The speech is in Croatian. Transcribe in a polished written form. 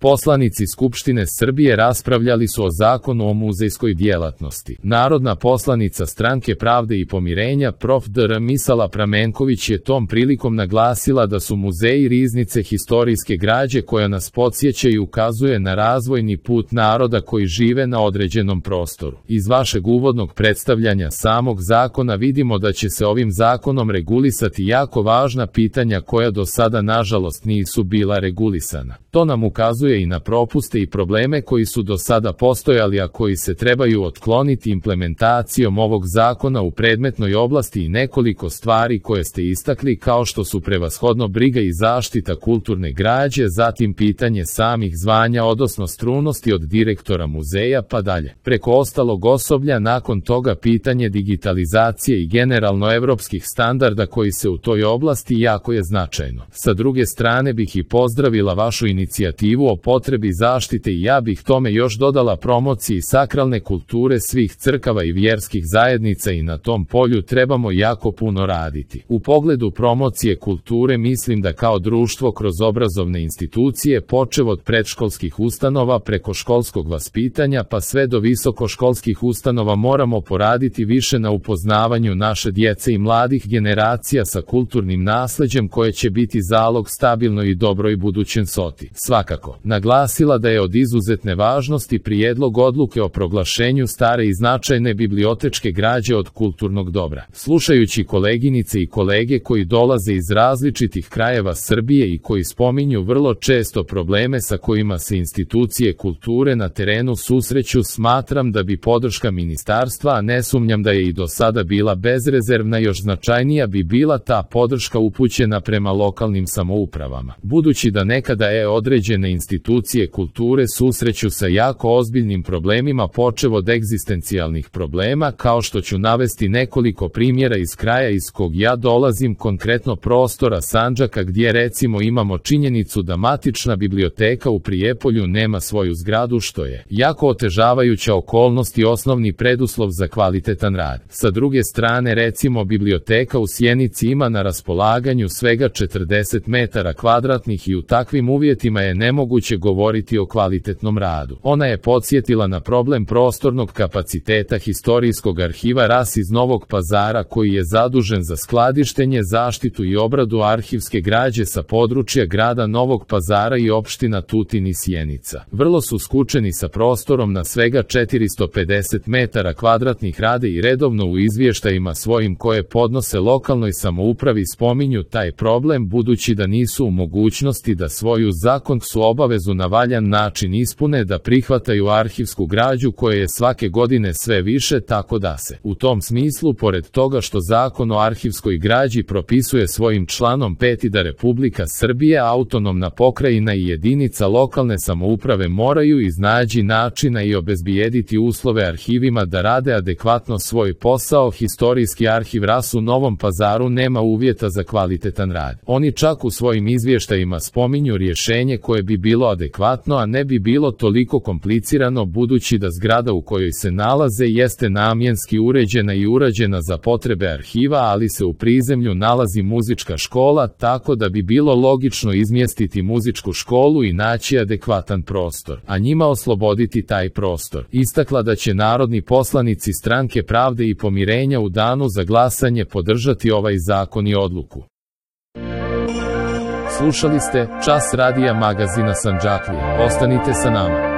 Poslanici Skupštine Srbije raspravljali su o Zakonu o muzejskoj djelatnosti. Narodna poslanica Stranke pravde i pomirenja prof. dr. Misala Pramenković je tom prilikom naglasila da su muzeji riznice historijske građe koja nas podsjeća i ukazuje na razvojni put naroda koji žive na određenom prostoru. Iz vašeg uvodnog predstavljanja samog zakona vidimo da će se ovim zakonom regulisati jako važna pitanja koja do sada nažalost nisu bila regulisana. To nam ukazuje i na propuste i probleme koji su do sada postojali, a koji se trebaju otkloniti implementacijom ovog zakona u predmetnoj oblasti i nekoliko stvari koje ste istakli, kao što su prevashodno briga i zaštita kulturne građe, zatim pitanje samih zvanja odnosno stručnosti od direktora muzeja pa dalje. Preko ostalog osoblja, nakon toga pitanje digitalizacije i generalno evropskih standarda koji se u toj oblasti jako je značajno. Sa druge strane bih i pozdravila vašu inicijativu o potrebi zaštite i ja bih tome još dodala promociji sakralne kulture svih crkava i vjerskih zajednica i na tom polju trebamo jako puno raditi. U pogledu promocije kulture mislim da kao društvo kroz obrazovne institucije počev od predškolskih ustanova preko školskog vaspitanja pa sve do visokoškolskih ustanova moramo poraditi više na upoznavanju naše djece i mladih generacija sa kulturnim nasleđem koje će biti zalog stabilnoj i dobroj budućnosti. Svakako, naglasila da je od izuzetne važnosti prijedlog odluke o proglašenju stare i značajne bibliotečke građe od kulturnog dobra. Slušajući koleginice i kolege koji dolaze iz različitih krajeva Srbije i koji spominju vrlo često probleme sa kojima se institucije kulture na terenu susreću, smatram da bi podrška ministarstva, a ne sumnjam da je i do sada bila bezrezervna, još značajnija bi bila ta podrška upućena prema lokalnim samoupravama. Budući da nekada određene institucije kulture susreću sa jako ozbiljnim problemima počev od egzistencijalnih problema, kao što ću navesti nekoliko primjera iz kraja iz kog ja dolazim, konkretno prostora Sandžaka, gdje recimo imamo činjenicu da matična biblioteka u Prijepolju nema svoju zgradu, što je jako otežavajuća okolnost i osnovni preduslov za kvalitetan rad. Sa druge strane, recimo biblioteka u Sjenici ima na raspolaganju svega 40 metara kvadratnih i u takvim uvjetima je nemoguće govoriti o kvalitetnom radu. Ona je podsjetila na problem prostornog kapaciteta Historijskog arhiva RAS iz Novog Pazara, koji je zadužen za skladištenje, zaštitu i obradu arhivske građe sa područja grada Novog Pazara i opština Tutin i Sjenica. Vrlo su skučeni sa prostorom na svega 450 metara kvadratnih, rade i redovno u izvještajima svojim koje podnose lokalnoj samoupravi spominju taj problem, budući da nisu u mogućnosti da svoju zakonsku obavezu na valjan način ispune, da prihvataju arhivsku građu koje je svake godine sve više, tako da se u tom smislu, pored toga što Zakon o arhivskoj građi propisuje svojim članom 5. da Republika Srbija, autonomna pokrajina i jedinica lokalne samouprave moraju iznaći načina i obezbijediti uslove arhivima da rade adekvatno svoj posao, Historijski arhiv RAS u Novom Pazaru nema uvjeta za kvalitetan rad. Oni čak u svojim izvještajima spominju rješenje koje bi bilo adekvatno, a ne bi bilo toliko komplicirano, budući da zgrada u kojoj se nalaze jeste namjenski uređena i urađena za potrebe arhiva, ali se u prizemlju nalazi muzička škola, tako da bi bilo logično izmjestiti muzičku školu i naći adekvatan prostor, a njima osloboditi taj prostor. Istakla da će narodni poslanici Stranke pravde i pomirenja u danu za glasanje podržati ovaj zakon i odluku. Slušali ste Čas radija magazina Sandžaklija. Ostanite sa nama.